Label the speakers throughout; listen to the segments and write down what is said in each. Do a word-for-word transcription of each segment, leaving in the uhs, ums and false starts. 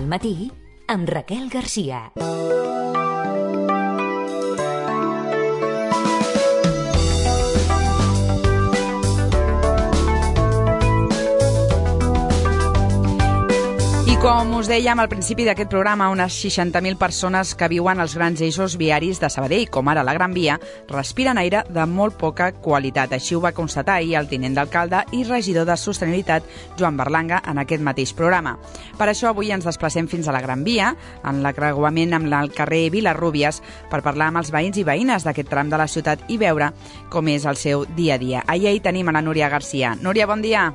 Speaker 1: al matí amb Raquel Garcia.
Speaker 2: Com us dèiem al principi d'aquest programa, unes seixanta mil persones que viuen als grans eixos viaris de Sabadell, com ara la Gran Via, respiren aire de molt poca qualitat. Així ho va constatar ahir el tinent d'alcalde i regidor de Sostenibilitat, Joan Berlanga, en aquest mateix programa. Per això avui ens desplacem fins a la Gran Via, en l'acreuament amb el carrer Vilarrúbies, per parlar amb els veïns i veïnes d'aquest tram de la ciutat i veure com és el seu dia a dia. Ahir hi tenim a la Núria Garcia. Núria, bon dia.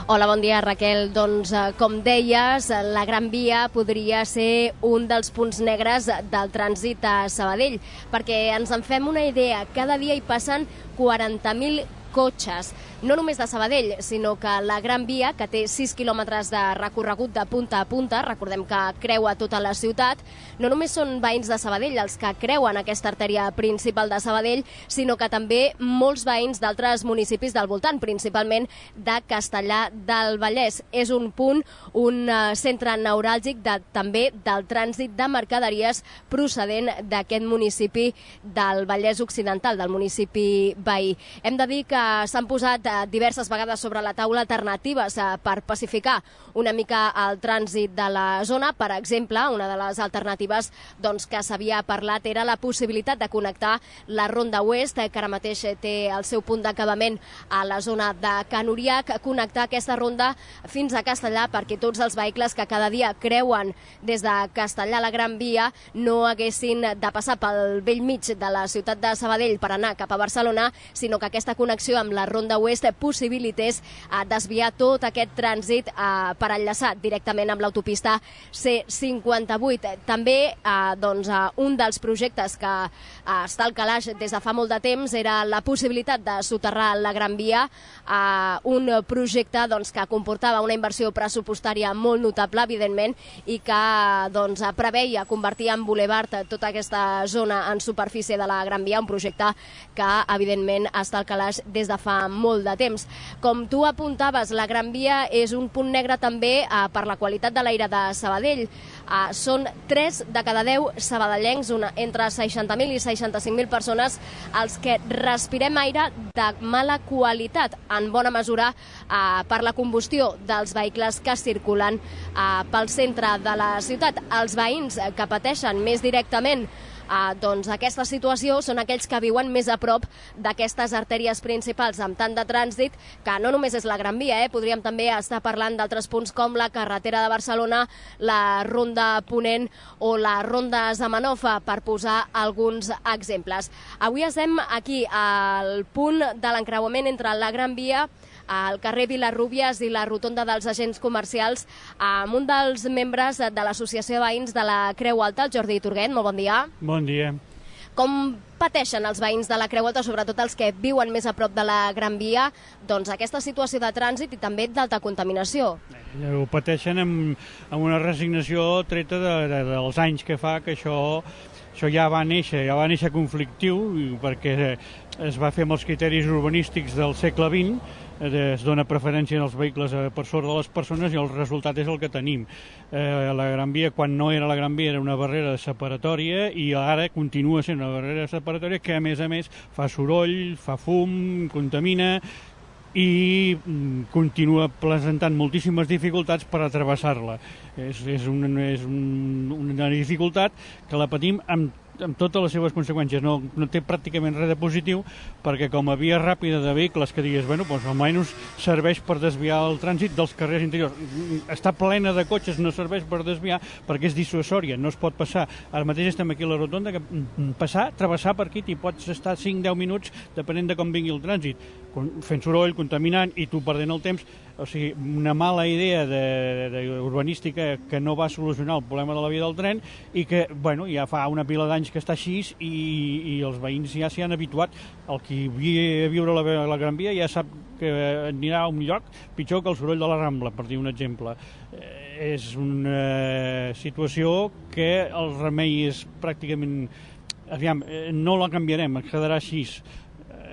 Speaker 3: Hola, bon dia, Raquel. Doncs, eh, com deies, la Gran Via podria ser un dels punts negres del trànsit a Sabadell, perquè ens en fem una idea, cada dia hi passen quaranta mil cotxes, no només de Sabadell, sinó que la Gran Via, que té sis quilòmetres de recorregut de punta a punta, recordem que creua tota la ciutat, no només són veïns de Sabadell els que creuen aquesta artèria principal de Sabadell, sinó que també molts veïns d'altres municipis del voltant, principalment de Castellar del Vallès. És un punt, un centre neuràlgic de, també del trànsit de mercaderies procedent d'aquest municipi del Vallès Occidental, del municipi veí. Hem de dir que s'han posat diverses vegades sobre la taula alternatives per pacificar una mica el trànsit de la zona. Per exemple, una de les alternatives doncs, que s'havia parlat era la possibilitat de connectar la Ronda Oest, que ara mateix té el seu punt d'acabament a la zona de Can Uriac, connectar aquesta ronda fins a Castellar perquè tots els vehicles que cada dia creuen des de Castellar a la Gran Via no haguessin de passar pel vell mig de la ciutat de Sabadell per anar cap a Barcelona, sinó que aquesta connexió amb la Ronda Oest possibilités eh, desviar tot aquest trànsit eh, per enllaçar directament amb l'autopista C cinquanta-vuit. També eh, doncs, eh, un dels projectes que eh, està al calaix des de fa molt de temps era la possibilitat de soterrar la Gran Via, eh, un projecte doncs, que comportava una inversió pressupostària molt notable, evidentment, i que doncs, preveia convertir en bulevard tota aquesta zona en superfície de la Gran Via, un projecte que, evidentment, està al calaix des de fa molt de temps. Com tu apuntaves, la Gran Via és un punt negre també eh, per la qualitat de l'aire de Sabadell. Eh, són tres de cada deu sabadellencs, una, entre seixanta mil i seixanta-cinc mil persones, els que respirem aire de mala qualitat, en bona mesura eh, per la combustió dels vehicles que circulen eh, pel centre de la ciutat. Els veïns que pateixen més directament Uh, doncs aquesta situació són aquells que viuen més a prop d'aquestes artèries principals amb tant de trànsit, que no només és la Gran Via, eh? Podríem també estar parlant d'altres punts com la carretera de Barcelona, la Ronda Ponent o la Ronda Zamenhof, per posar alguns exemples. Avui estem aquí al punt de l'encreuament entre la Gran Via, al carrer Vilarrúbies i la rotonda dels agents comercials, amb un dels membres de l'Associació de Veïns de la Creu Alta, el Jordi Turguet. Molt bon dia.
Speaker 4: Bon dia.
Speaker 3: Com pateixen els veïns de la Creu Alta, sobretot els que viuen més a prop de la Gran Via, doncs aquesta situació de trànsit i també d'alta contaminació?
Speaker 4: Ho pateixen amb, amb una resignació treta de, de, dels anys que fa que això, això ja va néixer, ja va néixer conflictiu, perquè es va fer amb els criteris urbanístics del segle vint, es dona preferència als vehicles per sobre de les persones i el resultat és el que tenim. Eh, la Gran Via, quan no era la Gran Via, era una barrera separatòria i ara continua sent una barrera separatòria que, a més a més, fa soroll, fa fum, contamina i continua presentant moltíssimes dificultats per travessar-la. És, és, un, és un, una dificultat que la patim amb amb totes les seves conseqüències. No, no té pràcticament res de positiu, perquè com a via ràpida de vehicles que digues, bueno, doncs almenys serveix per desviar el trànsit dels carrers interiors. Està plena de cotxes, no serveix per desviar perquè és dissuasòria, no es pot passar. Ara mateix estem aquí a la rotonda, que passar, travessar per aquí, t'hi pots estar cinc a deu minuts, depenent de com vingui el trànsit, fent soroll, contaminant i tu perdent el temps. O sigui, una mala idea de, de, de urbanística que no va solucionar el problema de la via del tren i que, bueno, ja fa una pila d'anys que està així i, i els veïns ja s'hi han habituat. El qui via a viure a la, a la Gran Via ja sap que anirà a un lloc pitjor que el soroll de la Rambla, per dir un exemple. Eh, és una situació que el remei és pràcticament... Aviam, no la canviarem, es quedarà així.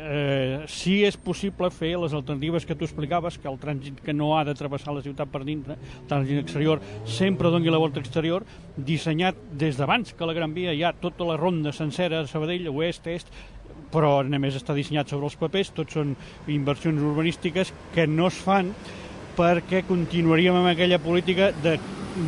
Speaker 4: eh, sí és possible fer les alternatives que tu explicaves, que el trànsit que no ha de travessar la ciutat per dintre, el trànsit exterior, sempre doni la volta exterior, dissenyat des d'abans que la Gran Via hi ha tota la ronda sencera de Sabadell, oest, est, però només està dissenyat sobre els papers, tots són inversions urbanístiques que no es fan perquè continuaríem amb aquella política de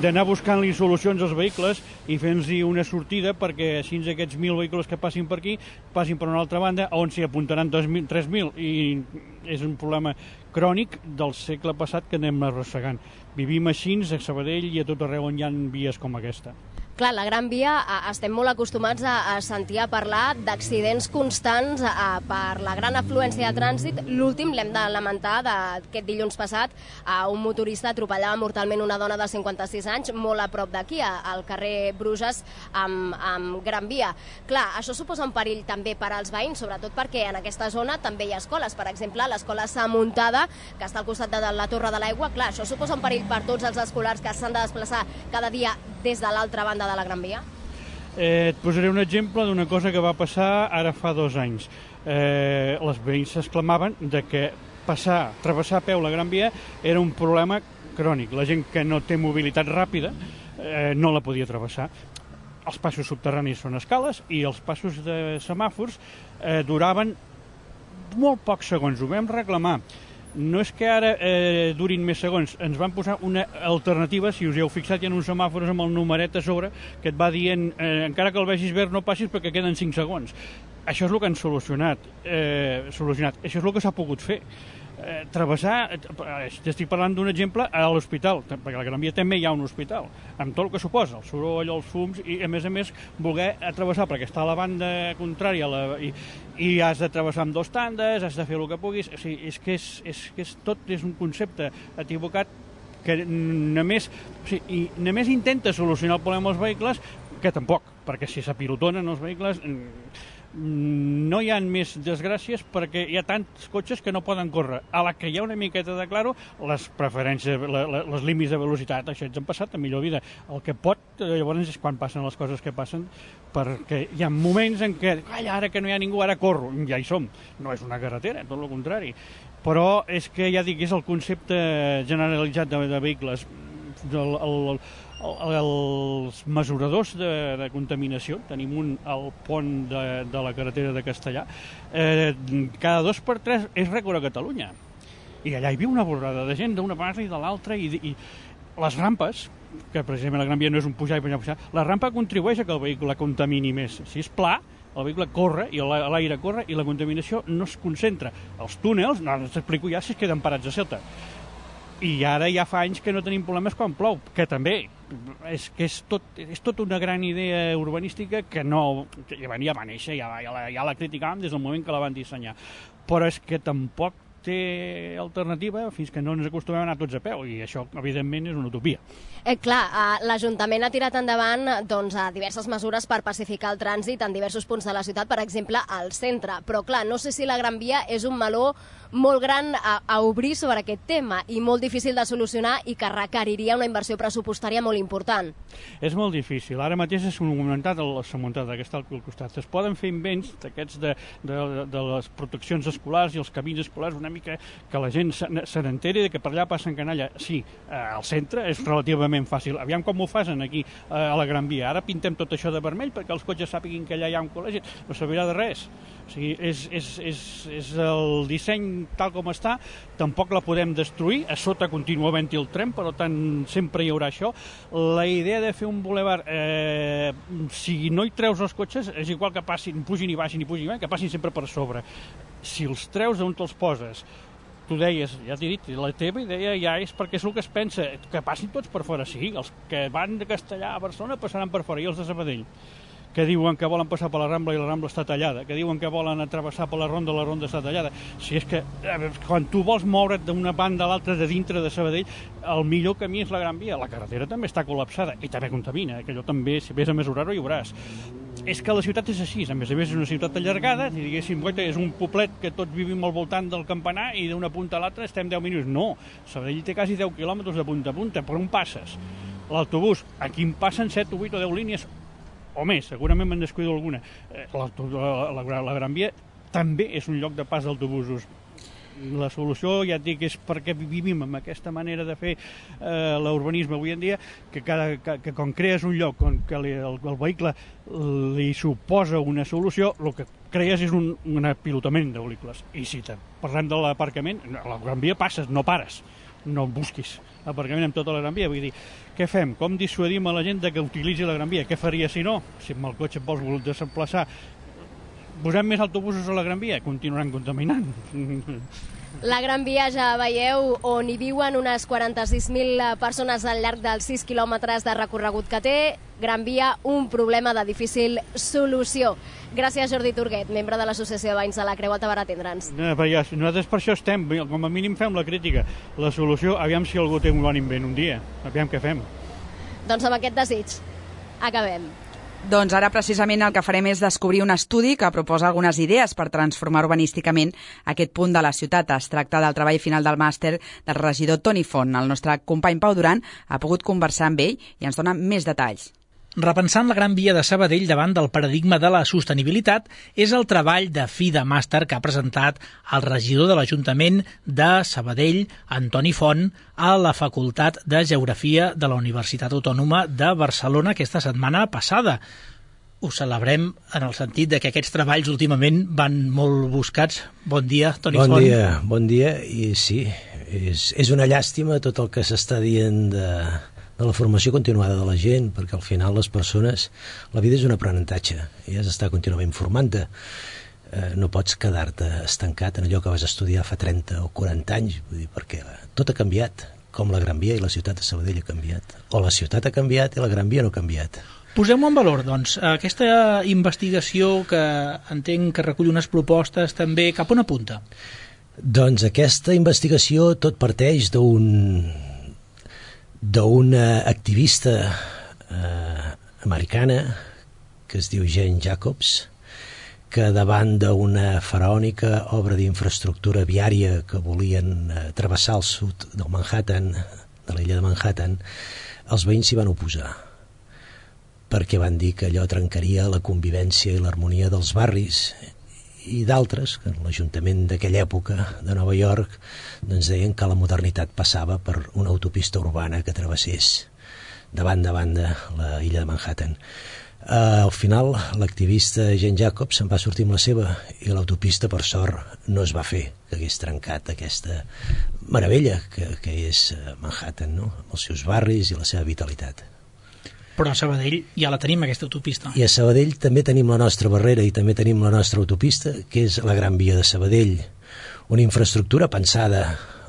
Speaker 4: d'anar buscant-li solucions als vehicles i fent-los una sortida perquè així aquests mil vehicles que passin per aquí passin per una altra banda on s'hi apuntaran tres mil i és un problema crònic del segle passat que anem arrossegant. Vivim així a Sabadell i a tot arreu on hi ha vies com aquesta.
Speaker 3: Clar, la Gran Via estem molt acostumats a, a sentir a parlar d'accidents constants a, per la gran afluència de trànsit. L'últim l'hem de lamentar d'aquest dilluns passat. A un motorista atropellava mortalment una dona de cinquanta-sis anys molt a prop d'aquí, al carrer Bruges, amb, amb Gran Via. Clar, això suposa un perill també per als veïns, sobretot perquè en aquesta zona també hi ha escoles. Per exemple, l'escola Sa Muntada, que està al costat de la Torre de l'Aigua. Clar, això suposa un perill per tots els escolars que s'han de desplaçar cada dia des de l'altra banda de la Gran Via?
Speaker 4: Eh, et posaré un exemple d'una cosa que va passar ara fa dos anys. Eh, les veïns s'exclamaven de que passar, travessar a peu la Gran Via era un problema crònic. La gent que no té mobilitat ràpida eh, no la podia travessar. Els passos subterranis són escales i els passos de semàfors eh, duraven molt pocs segons. Ho vam reclamar. No és que ara eh, durin més segons, ens van posar una alternativa, si us hi heu fixat, hi ha uns semàfors amb el numeret a sobre que et va dient, eh, encara que el vegis verd no passis perquè queden cinc segons. Això és el que han solucionat. Eh, solucionat. Això és el que s'ha pogut fer. Eh, travessar, eh, estic parlant d'un exemple a l'hospital, perquè a la Gran Via també hi ha un hospital, amb tot el que suposa, el soroll, els fums, i a més a més voler travessar, perquè està a la banda contrària la, i, i has de travessar amb dos tandes, has de fer el que puguis, o sigui, és que és, és, és, tot és un concepte equivocat que només, o sigui, només intenta solucionar el problema dels vehicles, que tampoc, perquè si s'apilotonen els vehicles no hi ha més desgràcies perquè hi ha tants cotxes que no poden córrer. A la que hi ha una miqueta de claro, les preferències, la, la, les límits de velocitat, això ens han passat a millor vida. El que pot, llavors, és quan passen les coses que passen, perquè hi ha moments en què, calla, ara que no hi ha ningú, ara corro. Ja hi som. No és una carretera, tot el contrari. Però és que, ja dic, és el concepte generalitzat de, de vehicles. El, el, els mesuradors de, de contaminació, tenim un al pont de, de la carretera de Castellà, eh, cada dos per tres és rècord a Catalunya. I allà hi viu una borrada de gent d'una part i de l'altra, i, i les rampes, que precisament la Gran Via no és un pujar i pujar, pujar, la rampa contribueix a que el vehicle contamini més. Si és pla, el vehicle corre i l'aire corre i la contaminació no es concentra. Els túnels, no us explico ja si es queden parats a sota. I ara ja fa anys que no tenim problemes quan plou, que també és que és tot, és tot una gran idea urbanística que no, que ja va néixer, ja, ja, la, ja la criticàvem des del moment que la van dissenyar, però és que tampoc té alternativa fins que no ens acostumem a anar tots a peu, i això, evidentment, és una utopia.
Speaker 3: Eh, clar, eh, l'Ajuntament ha tirat endavant doncs, a diverses mesures per pacificar el trànsit en diversos punts de la ciutat, per exemple, al centre. Però, clar, no sé si la Gran Via és un meló molt gran a, a obrir sobre aquest tema i molt difícil de solucionar i que requeriria una inversió pressupostària molt important.
Speaker 4: És molt difícil. Ara mateix és comentat a la Samuntada, que està al costat. Es poden fer invents d'aquests de, de, de les proteccions escolars i els camins escolars una mica que la gent se, se n'enteri que per allà passen canalla. Sí, al centre és relativament fàcil. Aviam com ho fan aquí a la Gran Via. Ara pintem tot això de vermell perquè els cotxes sàpiguin que allà hi ha un col·legi. No servirà de res. O sigui, és, és, és, és el disseny tal com està, tampoc la podem destruir. A sota continua havent-hi el tren, per tant sempre hi haurà això. La idea de fer un bulevard, eh, si no hi treus els cotxes, és igual que passin, pugin i baixin i pugin i baixin, que passin sempre per sobre. Si els treus d'on te'ls poses, tu deies, ja t'he dit, la teva idea ja és perquè és el que es pensa, que passin tots per fora. Sí, els que van de Castellà a Barcelona passaran per fora, i els de Sabadell, que diuen que volen passar per la Rambla i la Rambla està tallada, que diuen que volen travessar per la Ronda i la Ronda està tallada. Si és que quan tu vols moure't d'una banda a l'altra de dintre de Sabadell, el millor camí és la Gran Via. La carretera també està col·lapsada i també contamina, que allò també, si vés a mesurar-ho, hi veuràs. És que la ciutat és així, a més a més és una ciutat allargada, si diguéssim, és un poblet que tots vivim al voltant del campanar i d'una punta a l'altra estem deu minuts. No, Sabadell té quasi deu quilòmetres de punta a punta, per on passes? L'autobús, aquí en passen set o vuit o deu línies, o més, segurament me'n descuido alguna. La, la, la, la Gran Via també és un lloc de pas d'autobusos. La solució, ja et dic, és perquè vivim amb aquesta manera de fer eh, l'urbanisme avui en dia, que, cada, que, que quan crees un lloc on que li, el, el vehicle li suposa una solució, el que crees és un, un apilotament de vehicles. I si te parlem de l'aparcament, a la Gran Via passes, no pares, no busquis aparcament amb tota la Gran Via. Vull dir, què fem? Com dissuadim a la gent de que utilitzi la Gran Via? Què faria si no? Si amb el cotxe et vols desplaçar, posem més autobusos a la Gran Via, continuaran contaminant.
Speaker 3: La Gran Via, ja veieu, on hi viuen unes quaranta-sis mil persones al llarg dels sis quilòmetres de recorregut que té. Gran Via, un problema de difícil solució. Gràcies, Jordi Turguet, membre de l'Associació de Veïns de la Creu Alta, per atendre'ns.
Speaker 4: No, ja, nosaltres per això estem, com a mínim fem la crítica. La solució, aviam si algú té un bon invent un dia, aviam què fem.
Speaker 3: Doncs amb aquest desig, acabem.
Speaker 2: Doncs ara precisament el que farem és descobrir un estudi que proposa algunes idees per transformar urbanísticament aquest punt de la ciutat. Es tracta del treball final del màster del regidor Toni Font. El nostre company Pau Duran ha pogut conversar amb ell i ens dona més detalls.
Speaker 5: Repensant la Gran Via de Sabadell davant del paradigma de la sostenibilitat és el treball de fi de màster que ha presentat el regidor de l'Ajuntament de Sabadell, Antoni Font, a la Facultat de Geografia de la Universitat Autònoma de Barcelona aquesta setmana passada. Ho celebrem en el sentit de que aquests treballs últimament van molt buscats. Bon dia, Toni
Speaker 6: Font.
Speaker 5: Bon
Speaker 6: dia, bon dia, i sí, és, és una llàstima tot el que s'està dient de... de la formació continuada de la gent, perquè al final les persones, la vida és un aprenentatge i has d'estar contínuament formant-te. Eh, no pots quedar-te estancat en allò que vas estudiar fa trenta o quaranta anys, vull dir, perquè tot ha canviat, com la Gran Via i la ciutat de Sabadell ha canviat, o la ciutat ha canviat i la Gran Via no ha canviat.
Speaker 5: Posem-ho en valor, doncs, aquesta investigació que entenc que recull unes propostes també, cap on apunta?
Speaker 6: Doncs aquesta investigació tot parteix d'un d'una activista eh, americana que es diu Jane Jacobs, que davant d'una faraònica obra d'infraestructura viària que volien eh, travessar el sud del Manhattan, de l'illa de Manhattan, els veïns s'hi van oposar, perquè van dir que allò trencaria la convivència i l'harmonia dels barris, i d'altres, que l'Ajuntament d'aquella època de Nova York doncs deien que la modernitat passava per una autopista urbana que travessés de banda a banda la illa de Manhattan. Uh, al final, l'activista Jane Jacobs se'n va sortir amb la seva i l'autopista, per sort, no es va fer, que hagués trencat aquesta meravella que, que és Manhattan, no? Amb els seus barris i la seva vitalitat.
Speaker 5: Però a Sabadell ja la tenim, aquesta autopista.
Speaker 6: I a Sabadell també tenim la nostra barrera i també tenim la nostra autopista, que és la Gran Via de Sabadell. Una infraestructura pensada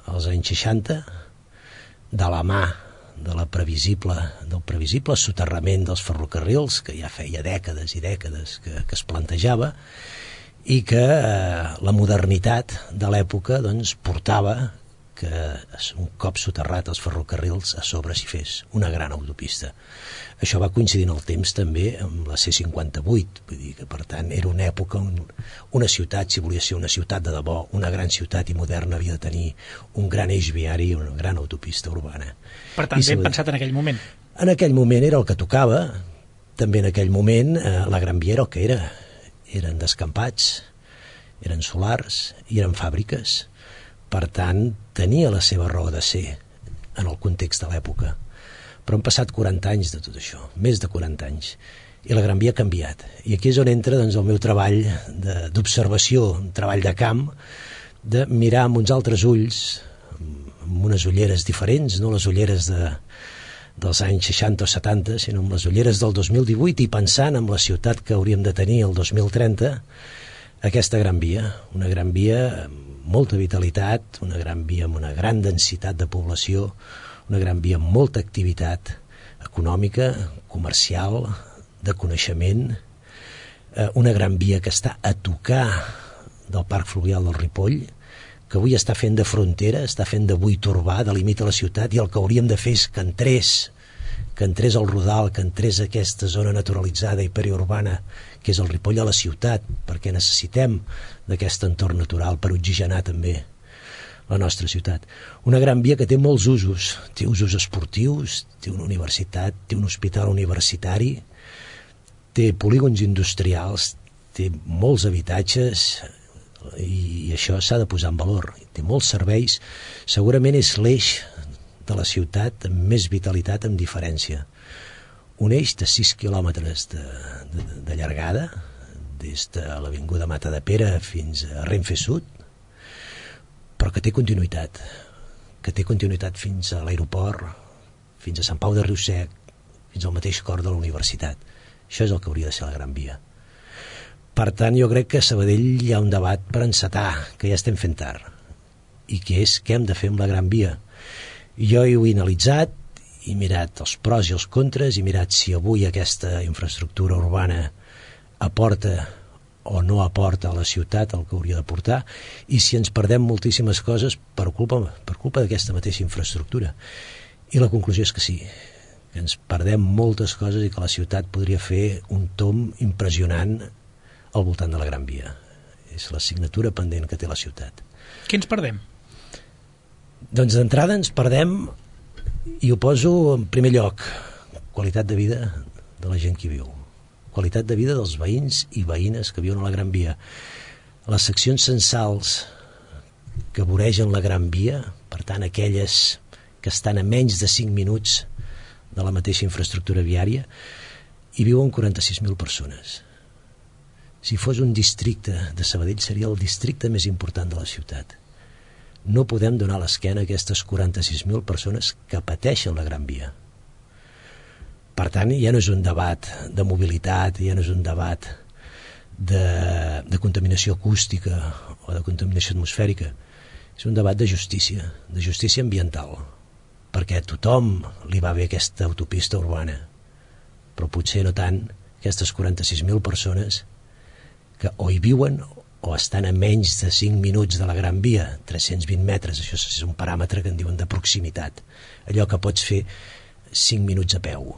Speaker 6: als anys seixanta, de la mà de la previsible, del previsible soterrament dels ferrocarrils, que ja feia dècades i dècades que, que es plantejava, i que eh, la modernitat de l'època doncs, portava que un cop soterrat els ferrocarrils a sobre s'hi fes una gran autopista. Això va coincidir en el temps també amb la C cinquanta-vuit, vull dir que per tant era una època on una ciutat, si volia ser una ciutat de debò, una gran ciutat i moderna, havia de tenir un gran eix viari i una gran autopista urbana.
Speaker 5: Per tant, ben pensat en aquell moment.
Speaker 6: En aquell moment era el que tocava, també en aquell moment eh, la Gran Via era el que era, eren descampats, eren solars i eren fàbriques. Per tant, tenia la seva raó de ser en el context de l'època. Però han passat quaranta anys de tot això, més de quaranta anys, i la Gran Via ha canviat. I aquí és on entra doncs, el meu treball d'observació, un treball de camp, de mirar amb uns altres ulls, amb unes ulleres diferents, no les ulleres de, dels anys seixanta o setanta, sinó amb les ulleres del dos mil divuit i pensant en la ciutat que hauríem de tenir el dos mil trenta, aquesta Gran Via, una Gran Via amb molta vitalitat, una Gran Via amb una gran densitat de població, una Gran Via amb molta activitat econòmica, comercial, de coneixement, una Gran Via que està a tocar del Parc Fluvial del Ripoll, que avui està fent de frontera, està fent de buit urbà, delimita la ciutat, i el que hauríem de fer és que entrés, que entrés al Rodal, que entrés a aquesta zona naturalitzada i periurbana, que és el Ripoll, a la ciutat, perquè necessitem d'aquest entorn natural per oxigenar també la nostra ciutat. Una Gran Via que té molts usos, té usos esportius, té una universitat, té un hospital universitari, té polígons industrials, té molts habitatges, i això s'ha de posar en valor. Té molts serveis, segurament és l'eix de la ciutat amb més vitalitat, amb diferència. Un eix de sis quilòmetres de, de, de llargada, des de l'avinguda Mata de Pere fins a Renfe Sud, però que té continuïtat, que té continuïtat fins a l'aeroport, fins a Sant Pau de Riusec, fins al mateix cor de la universitat. Això és el que hauria de ser la Gran Via. Per tant, jo crec que a Sabadell hi ha un debat per encetar, que ja estem fent tard, i que és què hem de fer amb la Gran Via. Jo ho he analitzat, he mirat els pros i els contres, he mirat si avui aquesta infraestructura urbana aporta o no aporta a la ciutat el que hauria d'aportar, i si ens perdem moltíssimes coses per culpa, per culpa d'aquesta mateixa infraestructura. I la conclusió és que sí, que ens perdem moltes coses i que la ciutat podria fer un tomb impressionant al voltant de la Gran Via. És la signatura pendent que té la ciutat.
Speaker 5: Què ens perdem?
Speaker 6: Doncs d'entrada ens perdem, i ho poso en primer lloc, qualitat de vida de la gent que hi viu, qualitat de vida dels veïns i veïnes que viuen a la Gran Via. Les seccions censals que voregen la Gran Via, per tant aquelles que estan a menys de cinc minuts de la mateixa infraestructura viària, hi viuen quaranta-sis mil persones. Si fos un districte de Sabadell seria el districte més important de la ciutat. No podem donar l'esquena a aquestes quaranta-sis mil persones que pateixen la Gran Via. Per tant, ja no és un debat de mobilitat, ja no és un debat de, de contaminació acústica o de contaminació atmosfèrica, és un debat de justícia, de justícia ambiental, perquè a tothom li va bé aquesta autopista urbana, però potser no tant aquestes quaranta-sis mil persones que o hi viuen o estan a menys de cinc minuts de la Gran Via, tres-cents vint metres, això és un paràmetre que en diuen de proximitat, allò que pots fer cinc minuts a peu.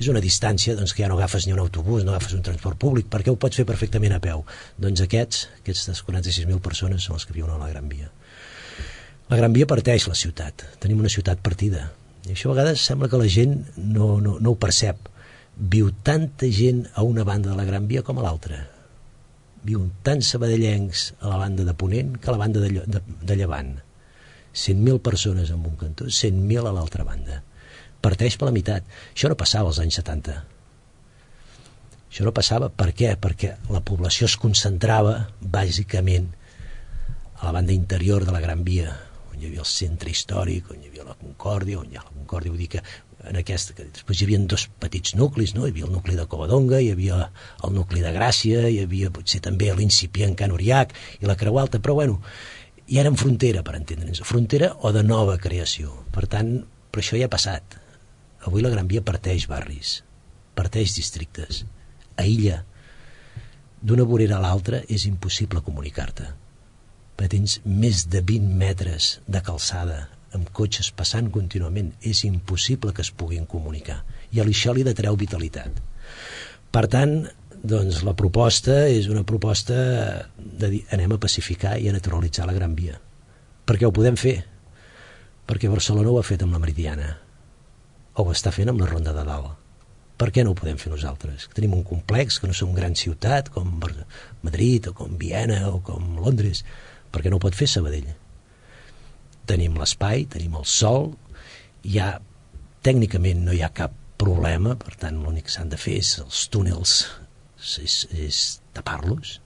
Speaker 6: És una distància doncs, que ja no agafes ni un autobús, no agafes un transport públic, perquè ho pots fer perfectament a peu. Doncs aquests, aquestes quaranta-sis mil persones són els que viuen a la Gran Via. La Gran Via parteix la ciutat, tenim una ciutat partida, i això a vegades sembla que la gent no, no, no ho percep. Viu tanta gent a una banda de la Gran Via com a l'altra. Viuen tants sabadellencs a la banda de Ponent que a la banda de, de, de Llevant. cent mil persones en un cantó, cent mil a l'altra banda. Parteix per la meitat. Això no passava als anys setanta. Això no passava. Per què? Perquè la població es concentrava bàsicament a la banda interior de la Gran Via, on hi havia el centre històric, on hi havia la Concòrdia, on hi ha la Concòrdia, vull dir que en aquesta, que després hi havia dos petits nuclis, no? Hi havia el nucli de Covadonga, hi havia el nucli de Gràcia, hi havia potser també l'incipient Can Uriac i la Creu Alta, però bueno, hi eren frontera, per entendre'ns, frontera o de nova creació. Per tant, però això ja ha passat. Avui la Gran Via parteix barris, parteix districtes, aïlla. D'una vorera a l'altra és impossible comunicar-te, perquè tens més de vint metres de calçada amb cotxes passant contínuament. És impossible que es puguin comunicar, i a això li detreu vitalitat. Per tant, doncs la proposta és una proposta de dir anem a pacificar i a naturalitzar la Gran Via, perquè ho podem fer, perquè Barcelona ho ha fet amb la Meridiana, o ho està fent amb la Ronda de Dalt. Per què no ho podem fer nosaltres? Tenim un complex, que no som gran ciutat com Madrid o com Viena o com Londres. Per què no ho pot fer Sabadell? Tenim l'espai, tenim el sol, ja tècnicament no hi ha cap problema, per tant l'únic que s'han de fer és els túnels, és, és tapar-los,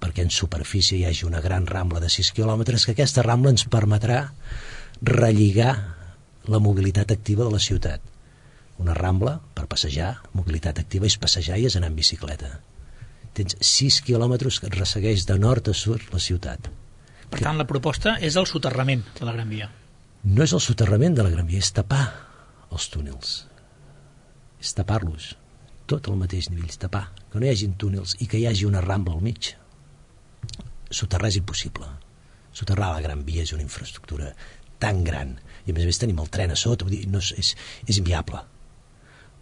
Speaker 6: perquè en superfície hi hagi una gran rambla de sis quilòmetres, que aquesta rambla ens permetrà relligar la mobilitat activa de la ciutat. Una rambla per passejar, mobilitat activa és passejar i és anar en bicicleta. Tens sis quilòmetres que et ressegueix de nord a sud la ciutat.
Speaker 5: Per tant, la proposta és el soterrament de la Gran Via.
Speaker 6: No és el soterrament de la Gran Via, és tapar els túnels. És tapar-los. Tot al mateix nivell, és tapar. Que no hi hagi túnels i que hi hagi una rambla al mig. Soterrar és impossible. Soterrar la Gran Via és una infraestructura tan gran, i a més a més tenim el tren a sota, vull dir, no és, és, és inviable.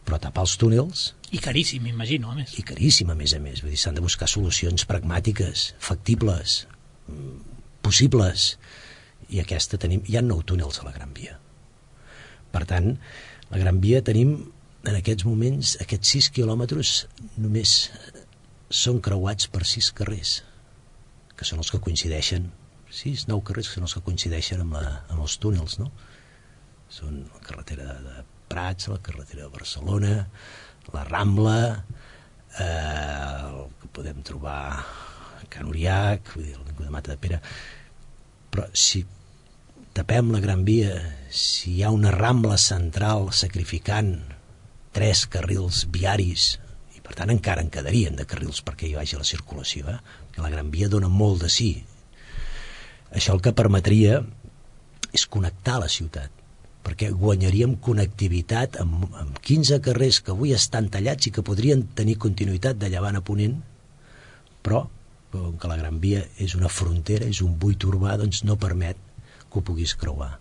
Speaker 6: Però tapar els túnels...
Speaker 5: I caríssim, m'imagino, a més.
Speaker 6: I caríssim, a més a més. Vull dir, s'han de buscar solucions pragmàtiques, factibles, possibles, i aquesta tenim... Hi ha nou túnels a la Gran Via. Per tant, la Gran Via tenim, en aquests moments, aquests sis quilòmetres només són creuats per sis carrers. que són els que coincideixen, sis, nou carrers que són els que coincideixen amb, la, amb els túnels, no? Són la carretera de Prats, la carretera de Barcelona, la Rambla, eh, el que podem trobar a Can Uriac, vull dir, l'Avinguda Mata de Pere. Però si tapem la Gran Via, si hi ha una Rambla central sacrificant tres carrils viaris, i per tant encara en quedarien de carrils perquè hi vagi la circulació, eh? Que la Gran Via dona molt de sí. Això el que permetria és connectar la ciutat, perquè guanyaríem connectivitat amb, amb quinze carrers que avui estan tallats i que podrien tenir continuïtat de llevant a ponent, però com que la Gran Via és una frontera, és un buit urbà, doncs no permet que ho puguis creuar.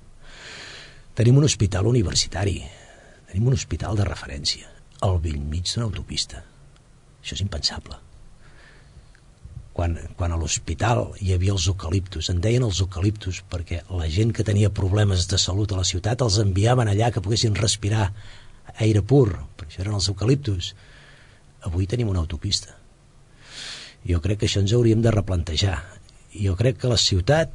Speaker 6: Tenim un hospital universitari, tenim un hospital de referència al bell mig d'una autopista. Això és impensable. Quan, quan a l'hospital hi havia els eucaliptus, en deien els eucaliptus perquè la gent que tenia problemes de salut a la ciutat els enviaven allà que poguessin respirar aire pur, per això eren els eucaliptus. Avui tenim una autopista. Jo crec que això ens hauríem de replantejar. Jo crec que la ciutat,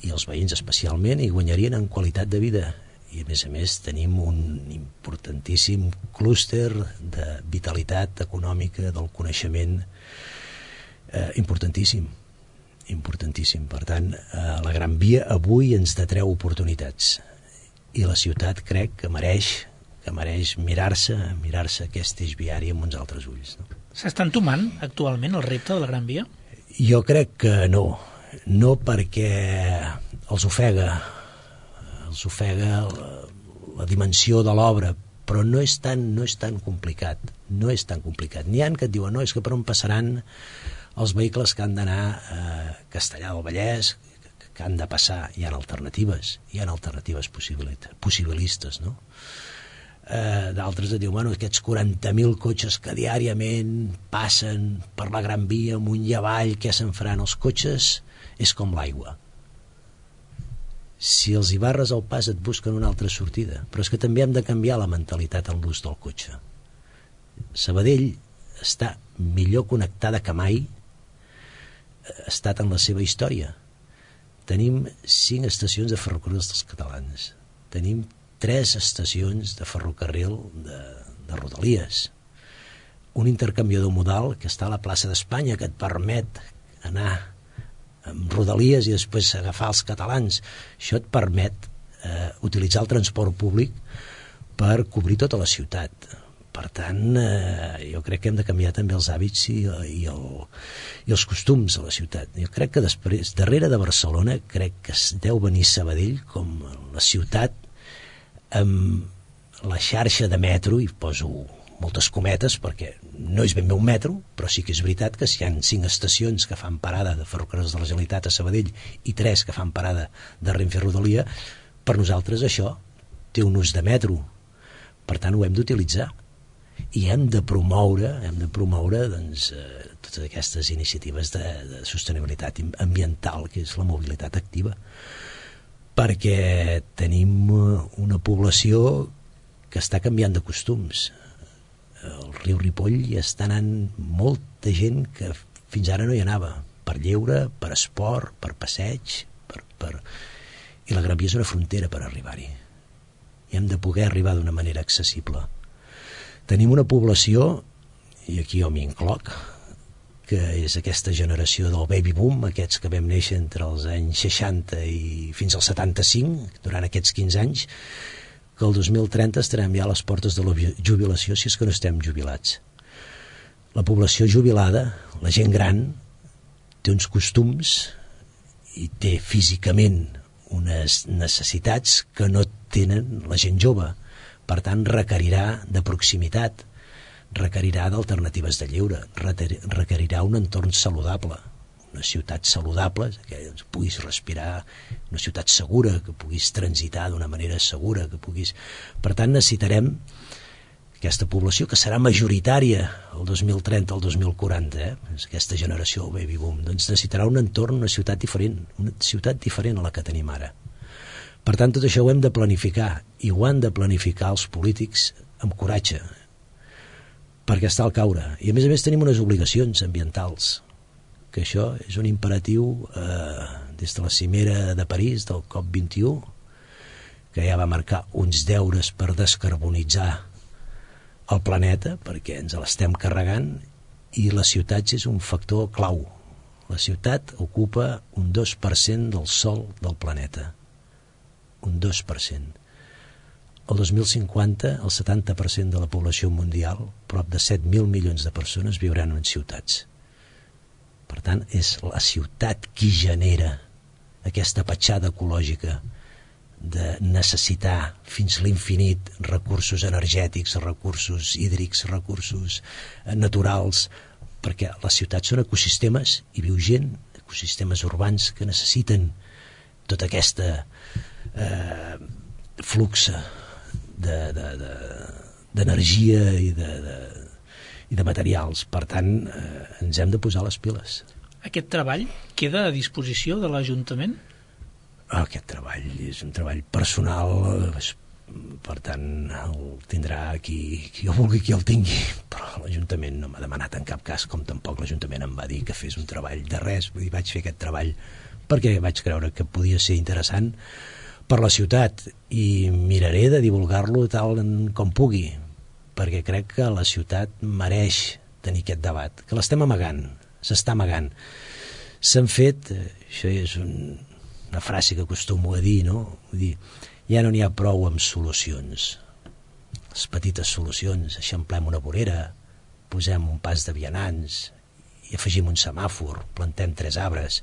Speaker 6: i els veïns especialment, hi guanyarien en qualitat de vida. I a més a més tenim un importantíssim clúster de vitalitat econòmica, del coneixement, eh, importantíssim. Importantíssim. Per tant, eh, la Gran Via avui ens detreu oportunitats. I la ciutat crec que mereix que mereix mirar-se mirar-se aquest eix viari amb uns altres ulls, no?
Speaker 5: S'està entomant actualment el repte de la Gran Via?
Speaker 6: Jo crec que no. No perquè els ofega, els ofega la, la dimensió de l'obra, però no és tan, no és tan complicat. No és tan complicat. N'hi ha que et diuen, no, és que per on passaran els vehicles que han d'anar a Castellar del Vallès, que han de passar. Hi ha alternatives, hi ha alternatives possibilistes, no? Eh, d'altres et diuen, bueno, aquests quaranta mil cotxes que diàriament passen per la Gran Via amunt i avall, què se'n faran? Els cotxes és com l'aigua. Si els hi barres el pas et busquen una altra sortida, però és que també hem de canviar la mentalitat en l'ús del cotxe. Sabadell està millor connectada que mai ha estat en la seva història. Tenim cinc estacions de ferrocarrils dels catalans, tenim tres estacions de ferrocarril de, de Rodalies, un intercanviador modal que està a la plaça d'Espanya que et permet anar amb Rodalies i després agafar els catalans. Això et permet eh, utilitzar el transport públic per cobrir tota la ciutat. Per tant, eh, jo crec que hem de canviar també els hàbits i, i, el, i els costums a la ciutat. Jo crec que després, darrere de Barcelona, crec que es deu venir Sabadell com la ciutat amb la xarxa de metro, i poso moltes cometes perquè no és ben bé un metro, però sí que és veritat que si hi ha cinc estacions que fan parada de ferrocarrils de la Generalitat a Sabadell i tres que fan parada de Renfe a Rodalia, per nosaltres això té un ús de metro. Per tant, ho hem d'utilitzar i hem de promoure, hem de promoure doncs, eh, totes aquestes iniciatives de, de sostenibilitat ambiental, que és la mobilitat activa, perquè tenim una població que està canviant de costums. El riu Ripoll hi està anant molta gent que fins ara no hi anava, per lleure, per esport, per passeig, per, per... i la Gran Via és una frontera per arribar-hi. I hem de poder arribar d'una manera accessible. Tenim una població, i aquí jo m'hi incloc, que és aquesta generació del baby boom, aquests que vam néixer entre els anys seixanta i fins als setanta-cinc, durant aquests quinze anys, que el dos mil trenta estarem ja a les portes de la jubilació, si és que no estem jubilats. La població jubilada, la gent gran, té uns costums i té físicament unes necessitats que no tenen la gent jove. Per tant, requerirà de proximitat, requerirà d'alternatives de lleure, requerirà un entorn saludable, una ciutat saludable, que doncs, puguis respirar, una ciutat segura, que puguis transitar d'una manera segura, que puguis... Per tant, necessitarem aquesta població, que serà majoritària el dos mil trenta, el dos mil quaranta, eh? Aquesta generació del baby boom, doncs necessitarà un entorn, una ciutat diferent, una ciutat diferent a la que tenim ara. Per tant, tot això ho hem de planificar, i ho han de planificar els polítics amb coratge, perquè està al caure. I a més a més tenim unes obligacions ambientals que això és un imperatiu eh, des de la cimera de París, del COP vint-i-u, que ja va marcar uns deures per descarbonitzar el planeta, perquè ens l'estem carregant, i les ciutats és un factor clau. La ciutat ocupa un dos per cent del sòl del planeta. Un dos per cent. El dos mil cinquanta, el setanta per cent de la població mundial, prop de set mil milions de persones, viuran en ciutats. Per tant, és la ciutat qui genera aquesta petjada ecològica de necessitar fins l'infinit recursos energètics, recursos hídrics, recursos naturals, perquè les ciutats són ecosistemes, i viu gent, ecosistemes urbans que necessiten tota aquesta eh, flux d'energia de, de, de, i, de, de, i de materials. Per tant, eh, ens hem de posar les piles.
Speaker 5: Aquest treball queda a disposició de l'Ajuntament?
Speaker 6: Aquest treball és un treball personal, per tant el tindrà qui, qui jo vulgui qui el tingui, però l'Ajuntament no m'ha demanat en cap cas, com tampoc l'Ajuntament em va dir que fes un treball de res. Vull dir, vaig fer aquest treball perquè vaig creure que podia ser interessant per la ciutat, i miraré de divulgar-lo tal com pugui, perquè crec que la ciutat mereix tenir aquest debat, que l'estem amagant, s'està amagant. S'han fet, això és un una frase que acostumo a dir, no? Vull dir, ja no n'hi ha prou amb solucions. Les petites solucions, eixamplem una vorera, posem un pas de vianants i afegim un semàfor, plantem tres arbres.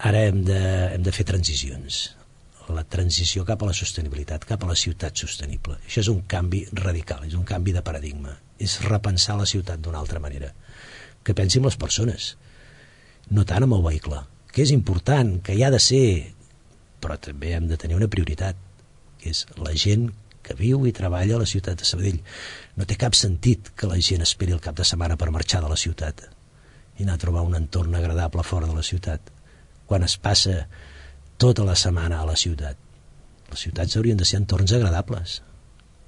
Speaker 6: Ara hem de, hem de fer transicions. La transició cap a la sostenibilitat, cap a la ciutat sostenible. Això és un canvi radical, és un canvi de paradigma. És repensar la ciutat d'una altra manera. Que pensi en les persones, no tant amb el vehicle, que és important, que hi ha de ser, però també hem de tenir una prioritat, que és la gent que viu i treballa a la ciutat de Sabadell. No té cap sentit que la gent esperi el cap de setmana per marxar de la ciutat i anar a trobar un entorn agradable fora de la ciutat, quan es passa tota la setmana a la ciutat. Les ciutats haurien de ser entorns agradables,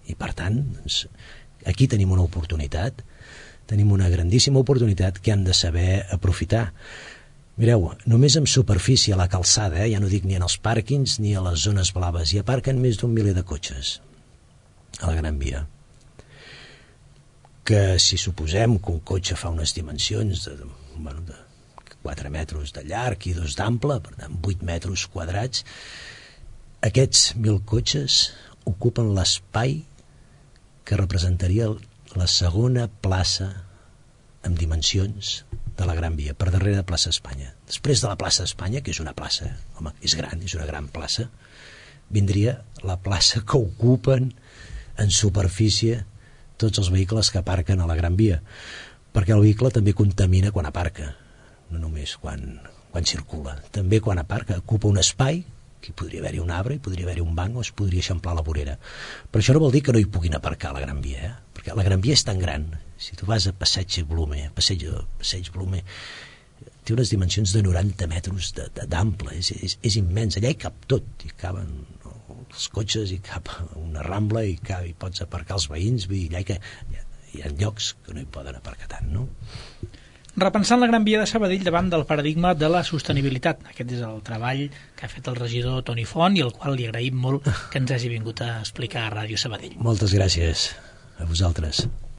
Speaker 6: i per tant, doncs, aquí tenim una oportunitat, tenim una grandíssima oportunitat que hem de saber aprofitar. Mireu, només en superfície a la calçada, eh, ja no dic ni en els pàrquings ni a les zones blaves, hi aparquen més d'un miler de cotxes a la Gran Via. Que si suposem que un cotxe fa unes dimensions de, bueno, de quatre metres de llarg i dos d'ample, per tant vuit metres quadrats, aquests mil cotxes ocupen l'espai que representaria la segona plaça amb dimensions de la Gran Via, per darrere de Plaça Espanya. Després de la Plaça Espanya, que és una plaça, home, és gran, és una gran plaça, vindria la plaça que ocupen en superfície tots els vehicles que aparquen a la Gran Via, perquè el vehicle també contamina quan aparca, no només quan, quan circula, també quan aparca, ocupa un espai, que podria haver-hi un arbre, hi podria haver-hi un banc, o es podria eixamplar la vorera. Però això no vol dir que no hi puguin aparcar a la Gran Via, eh? Perquè la Gran Via és tan gran. Si tu vas a Passeig Blume, Passeig, Passeig Blume, té unes dimensions de noranta metres d'ample, és, és, és immens, allà hi cap tot, hi caben els cotxes, hi cap una rambla, i cap, hi pots aparcar els veïns, vull dir, allà hi, hi, ha, hi ha llocs que no hi poden aparcar tant, no?
Speaker 5: Repensant la Gran Via de Sabadell davant del paradigma de la sostenibilitat. Aquest és el treball que ha fet el regidor Toni Font, i el qual li agraïm molt que ens hagi vingut a explicar a Ràdio Sabadell.
Speaker 6: Moltes gràcies a vosaltres.